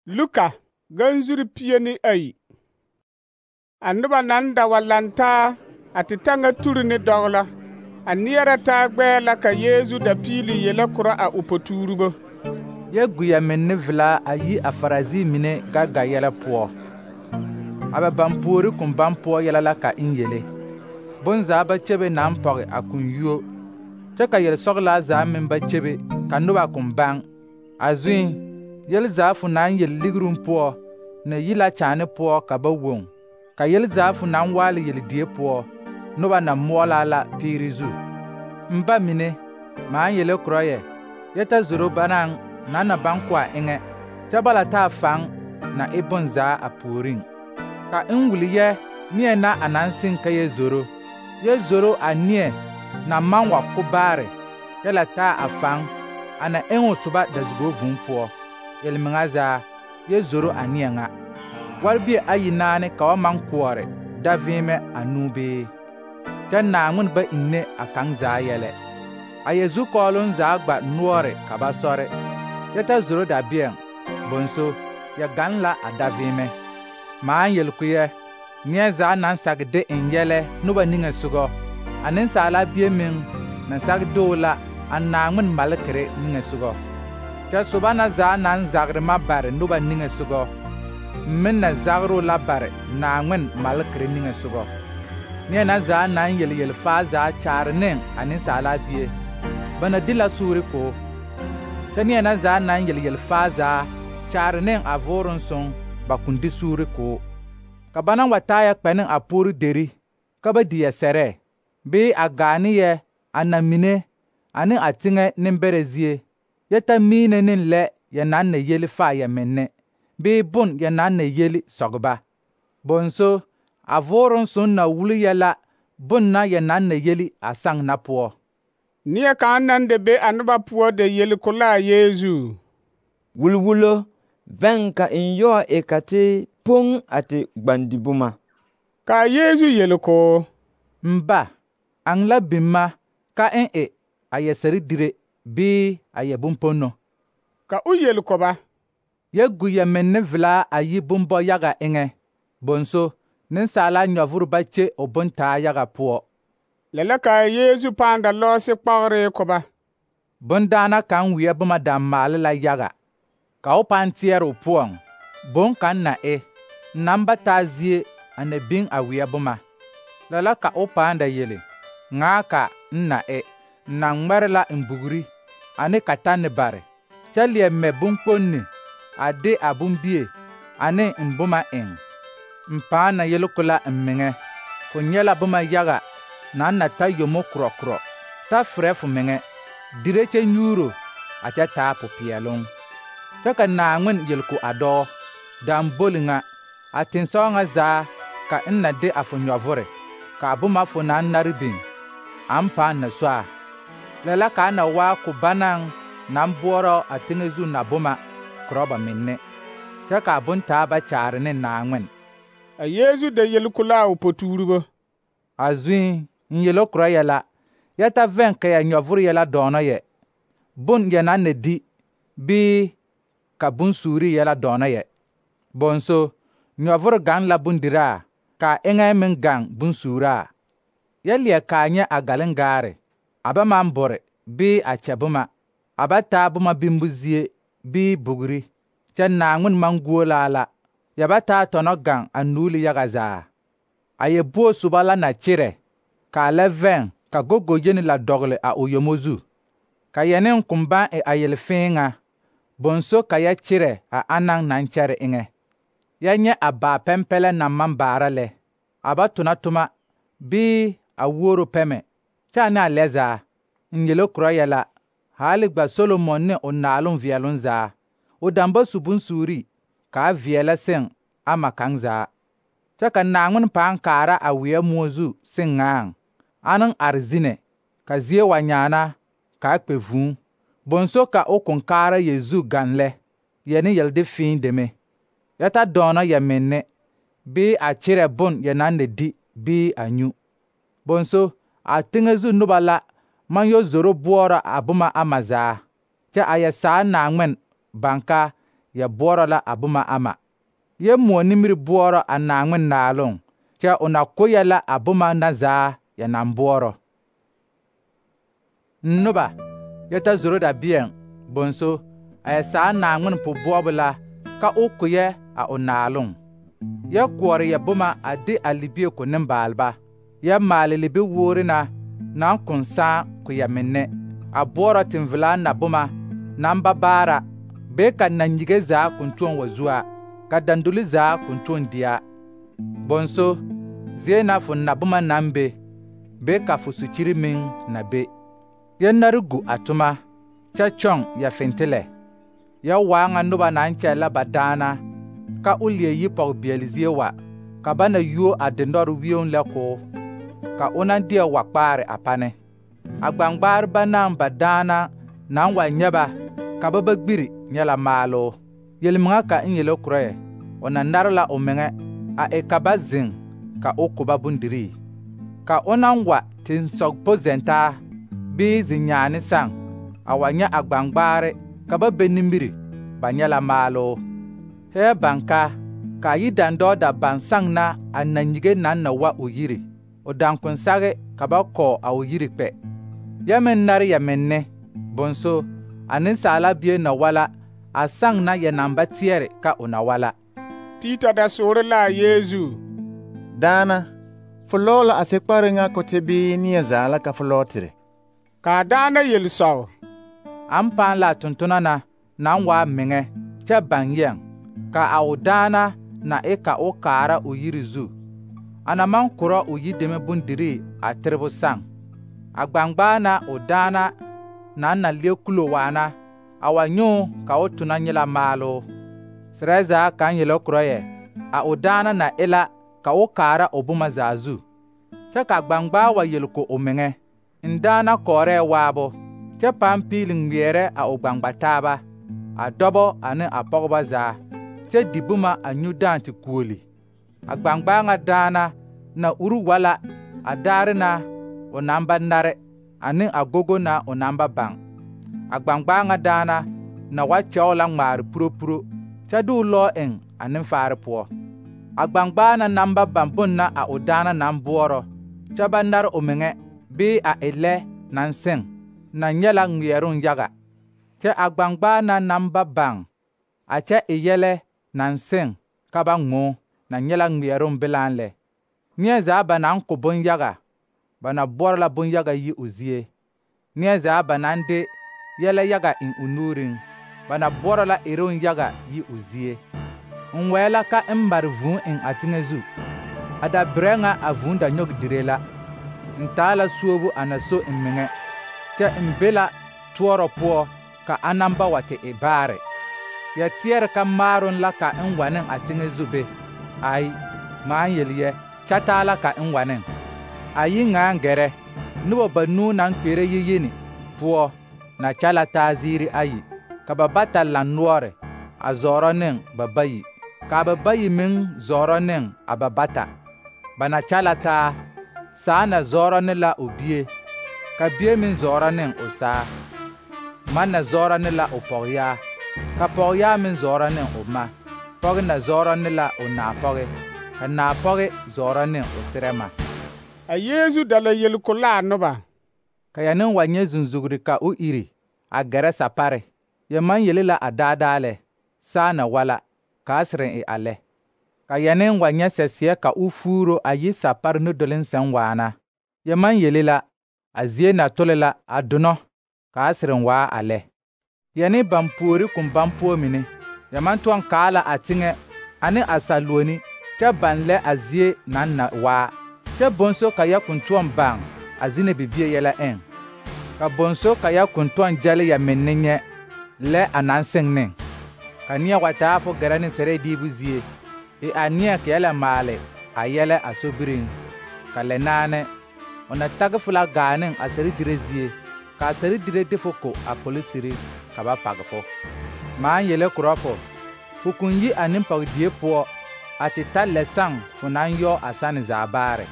Luka ganzuri 2. A noba naŋ da wa lantaa a te taŋa turi ne dɔgla, a neɛrɛ taa gbɛɛ la ka Yeezu da piili yele korɔ a o potuuribo. Yɛ guya menne velaa a yi a Farisii mine gaga yɛlɛ poɔ. A ba baŋ puori koŋ baŋ poɔ yɛlɛ la ka eŋ yele. Bonzaa ba kyebe naŋ pɔge a koŋ yuo, kyɛ ka yelsɔgelaa zaa meŋ ba kyebe ka noba koŋ baŋ. A zuŋ, yelzaa fo naŋ yel ligruŋ poɔ na yi la kyaane poɔ ka ba woŋ, ka yelzaa fo naŋ waale yeldie poɔ, noba na moɔlaa la piiri zu. N ba mine, maaŋ yele korɔ yɛ ta zoro banaŋ na baŋ ko a eŋɛ, kyɛ bala taa faŋ na e bonzaa a puoriŋ. Ka n wuli yɛ neɛ na a naŋ seŋ ka yɛ zoro a neɛ na maŋ wa ko baare, yɛ la taa a faŋ a na eŋ o soba dazugo vūū poɔ. Yelmeŋa zaa, yɛ zoro a neɛ ŋa. Warbie ayi naane ka ba maŋ koɔre daveemɛ anuu bee? Kyɛ Naaŋmen ba ine a kaŋ zaa yɛlɛ. A yɛ zukɔɔloŋ zaa gba noɔre ka ba sɔre, yɛ ta zoro dabeɛŋ, bonso yɛ gaŋ la a daveemɛ. Maaŋ yel ko yɛ, neɛ zaa naŋ sage de eŋ yɛlɛ noba niŋesogɔ, a Nensaala Bie meŋ na sage de o la a Naaŋmen malekere niŋesogɔ. Kyɛ soba na zaa naŋ zagre ma bare noba niŋesogɔ, meŋ na zagre o la bare Naaŋmen malekere niŋesogɔ. Neɛ na zaa naŋ yel faa zaa kyaare ne a Nensaala Bie, ba na di la suuri ko. Kyɛ neɛ na zaa naŋ yel faa zaa kyaare ne a Vooroŋ Soŋ, ba koŋ di suuri ko. Ka ba na wa taa yɛ kpɛ ne a puori deri ka ba di yɛ sɛrɛ, bee a gaa ne yɛ a namine ane a teŋɛ nembɛrɛ zie, yɛ ta miine ne lɛ yɛ naŋ na yeli faa yɛ menne, bee bon yɛ naŋ na yeli sɔgeba. Bonso, a Vooroŋ Soŋ na wuli yɛ la bon na yɛ naŋ na yeli a saŋ na poɔ. Neɛ kaŋ naŋ da be a noba poɔ da yeli ko la a Yeezu: Wulwulo, vɛŋ ka n yɔɔ e ka te poŋ a te gbandi boma. Ka a Yeezu yeli ko: N ba, aŋ la biŋ ma ka n e a yɛ sɛre dire bee a yɛ bomponno? Ka o yeli ko ba: Yɛ gu yɛ menne velaa a yi bombɔ yaga eŋɛ, bonso nensaala nyɔvoro ba kye o bontaa yaga poɔ. Lɛ la ka a Yeezu pãã da lɔɔse kpɔgere ko ba. Bondaana kaŋ weɛ boma da maale la yaga, ka o pãã teɛre o poɔŋ, boŋ kaŋ na e, naŋ ba taa zie a na biŋ a weɛ boma. Lɛ la ka o pãã da yele: ŋaa ka n na e, n na ŋmɛre la n bugri ane katanne bare, kyɛ leɛ mɛ bonkponni a de a bombie ane n boma eŋ. N pãã na yele ko la n meŋɛ, fo nyɛ la boma yaga naŋ na ta yomo korɔ, ta ferɛ fo meŋɛ, dire kyɛ nyuuro a kyɛ taa popeɛloŋ. Kyɛ ka Naaŋmen yel ko a dɔɔ: damboli ŋa, a tensɔɔ ŋa zaa ka n na de a fo nyɔvore, ka a boma fo naŋ nare biŋ, aŋ pãã na so a. Lɛ la ka a na waa ko banaŋ naŋ boɔrɔ a teŋɛ zu na boma korɔ ba menne, kyɛ ka a bontaa ba kyaare ne Naaŋmen. A Yeezu da yeli ko la a o potuuribo: A zuŋ, n yele korɔ yɛ la, yɛ ta vɛŋ ka yɛ nyɔvore yɛ la dɔɔnɔ yɛ, bon yɛ naŋ na di, bee ka bonsuuri yɛ la dɔɔnɔ yɛ. Bonso, nyɔvore gaŋ la bondiraa, ka a eŋɛ meŋ gaŋ bonsuuraa. Yɛ leɛ kaa nyɛ a galengaare, a ba maŋ bore bee a kyɛ boma, a ba taa boma bimbo zie bee bugri, kyɛ Naaŋmen maŋ guolaa la, yɛ ba taa tɔnɔ gaŋ a nuuli yaga zaa. A yɛ buo soba la na kyerɛ, ka a lɛ vɛŋ ka gogo yeni la dɔgele a o yomo zu, ka yɛ ne koŋ baŋ e a yelfẽẽ ŋa, bonso ka yɛ kyerɛ a anaŋ naŋ kyɛre eŋɛ. Yɛ nyɛ a baa pɛmpɛlɛ naŋ maŋ baara lɛ, a ba tona toma bee a wuoro pɛmɛ, kyɛ a ne a lɛ zaa, n yele korɔ yɛ la, haale gba Solomon ne o naaloŋ veɛloŋ zaa, o daŋ ba su bonsuuri ka a veɛlɛ seŋ ama kaŋ zaa. Kyɛ ka Naaŋmen pãã kaara a weɛ moɔ zu seŋ ŋaaŋ, anaŋ are zinɛ, ka zie wa nyaana ka a kpɛ vūū, bonso ka o koŋ kaara yɛ zu gaŋ lɛ, yɛ ne yɛl de fẽẽ deme. Yɛ ta dɔɔnɔ yɛ menne, bee a kyerɛ bon yɛ naŋ na di bee a nyu. Bonso, a teŋɛ zu noba la maŋ yɔ zoro boɔrɔ a boma ama zaa, kyɛ a yɛ saa Naaŋmen baŋ ka ya boɔrɔ la a boma ama. Yɛ moɔ nimiri boɔrɔ a Naaŋmen naaloŋ, kyɛ o na ko yɛ la a boma na zaa ya naŋ boɔrɔ. Noba, yɛ ta zoro da bieŋ, bonso, a yɛ saa Naaŋmen po-boɔbo la ka o ko yɛ a o naaloŋ. Yɛ koɔre yɛ boma a de a libie ko nembaalba. Yɛ maale libi woore na naŋ kõn sãã ko yɛ menne. A boɔrɔ tenvelaa na boma naŋ ba baara, bee ka nanyige zaa kõn tõɔ wa zua, ka dandoli zaa kõn tõɔ dia. Bonso, zie na fo na boma naŋ be, bee ka fo sukyiri meŋ na be. Yɛ nare gu a toma, kyɛ kyɔŋ yɛ fentelɛ. Yɛ waa ŋa noba naŋ kyɛllɛ ba daana, ka o leɛ yi pɔgebeɛle zie wa, ka ba na yuo a dendɔre wioŋ lɛ koo, ka o na deɛ wa kpaare a pane. A gbaŋgbaareba naŋ ba daana naŋ wa nyɛ ba, ka ba ba gbiri nyɛ la maaloo. Yelmeŋa ka n yele korɔ yɛ, o na nare la o meŋɛ a e ka ba zeŋ ka o ko ba bondirii. Ka o naŋ wa tensɔgpo zɛntaa bii zi-nyaane saŋ, a wa nyɛ a gbaŋgbaare ka ba be nimiri, ba nyɛ la maaloo. Hɛɛ baŋ ka a yi dandɔɔ da baŋ saŋ na a nanyige naŋ na wa o yiri, o daŋkon sage ka ba kɔɔ a o yiri kpɛ. Yɛ meŋ nare yɛ menne, bonso, a nensaala bie na wa la, a saŋ na yɛ naŋ ba teɛre ka o na wa la. Peter da soore la a Yeezu: Daana, fo lɔɔ la a sekpare ŋa ko te bii neɛ zaa la ka fo lɔɔ tere? Ka a daana yel sɔg: An pãã la a tontona na naŋ waa meŋɛ kyɛ baŋ yɛŋ, ka a o daana na e ka o kaara o yiri zu. A na maŋ korɔ o yideme bondirii a terebo saŋ. A gbaŋgbaa na o daana naŋ na leɛ kulo waana, a wa nyɔɔ ka o tona nyɛ la maaloo. Serɛ zaa kaŋ yele korɔ yɛ, a o daana na e la ka o kaara o boma zaa zu. Kyɛ ka gbaŋgbaa wa yel ko o meŋɛ: N daana kɔɔrɛɛ waabo, kyɛ pãã piili ŋmeɛrɛ a o gbaŋgbataaba, a dɔbɔ ane a pɔgebɔ zaa, kyɛ di boma a nyu dãã te kuoli. A gbaŋgbaa ŋa daana na uri wa la a daare na o naŋ ba nare ane a gogo na o naŋ ba baŋ. A gbaŋgbaa ŋa daana na wa kyɛo la ŋmaare puropuro, kyɛ de o lɔɔ eŋ a nenfaare poɔ. A gbaŋgbaa na naŋ ba baŋ bon na a o daana naŋ boɔrɔ, kyɛ ba nare o meŋɛ, bii a e lɛ naŋ seŋ, na nyɛ la ŋmeɛroŋ yaga. Kyɛ a gbaŋgbaa na naŋ ba baŋ, a kyɛ e yɛlɛ naŋ seŋ ka ba ŋmoo, na nyɛ la ŋmeɛroŋ belaaŋ lɛ. Neɛ zaa ba naŋ ko bonyaga, ba na boɔrɔ la bonyaga yi o zie. Neɛ zaa ba naŋ de yɛlɛ yaga eŋ o nuuriŋ, ba na boɔrɔ la eroŋ yaga yi o zie. N wɛɛ la ka n mare vūū eŋ a teŋɛ zu. A dabirɛ ŋa a vūū da nyɔge dire la. N taa la suobu a na so n meŋɛ, kyɛ n be la toɔrɔ poɔ ka a naŋ ba wa te e baare. Yɛ teɛre ka maaroŋ la ka n wa ne a teŋɛ zu be. Ai, ŋmaa yeli yɛ, kyɛ taa la ka n wa ne. A yi ŋaaŋ gɛrɛ, noba banuu naŋ kpeɛrɛ yiyini poɔ na kyɛ la taa ziiri ayi, ka ba bata laŋ noɔre a zɔɔrɔ ne ba bayi, ka ba bayi meŋ zɔɔrɔ ne a ba bata. Ba na kyɛ la taa, saa na zɔɔrɔ ne la o bie, ka bie meŋ zɔɔrɔ ne o saa. Ma na zɔɔrɔ ne la o pɔgeyaa, ka pɔgeyaa meŋ zɔɔrɔ ne o ma. Pɔge na zɔɔrɔ ne la o naapɔge, ka naapɔge zɔɔrɔ ne o serɛ ma. A Yeezu da la yel ko la a noba: Ka ya neŋ wa nyɛ zunzugri ka o iri a gɛrɛ sapare. Ya maŋ yele la a daadaa lɛ, saa na wa la, kaa sereŋ e a lɛ. Ka ya neŋ wa nyɛ sɛseɛ ka o fuuro a yi sapare nudoleŋ sɛŋ waana. Ya maŋ yele la, a zie na tole la a donɔ, kaa sereŋ waa a lɛ. Ya ne baŋ puori koŋ baŋ poɔ mine, ya maŋ tɔŋ kaa la a teŋɛ ane a saluoni, kyɛ baŋ lɛ a zie naŋ na waa. Kyɛ bonso ka ya koŋ tɔŋ baŋ a zine bibie yɛlɛ eŋ. Ka bonso ka ya koŋ tɔŋ gyɛle ya menne nyɛ lɛ a naŋ seŋ ne. Ka neɛ wa taa fo gɛrɛ ne sɛrɛɛ diibu zie, e a neɛ ka ya la maale a yɛlɛ a sobiriŋ. Ka lɛ naane, o na tagi fo la gaa ne a sɛre dire zie, ka a sɛre dire de fo ko a polisiri ka ba page fo. Maa yele korɔ fo koŋ yi a nempɔgedie poɔ a te ta lɛ saŋ fo naŋ yɔ a sane zaa baare.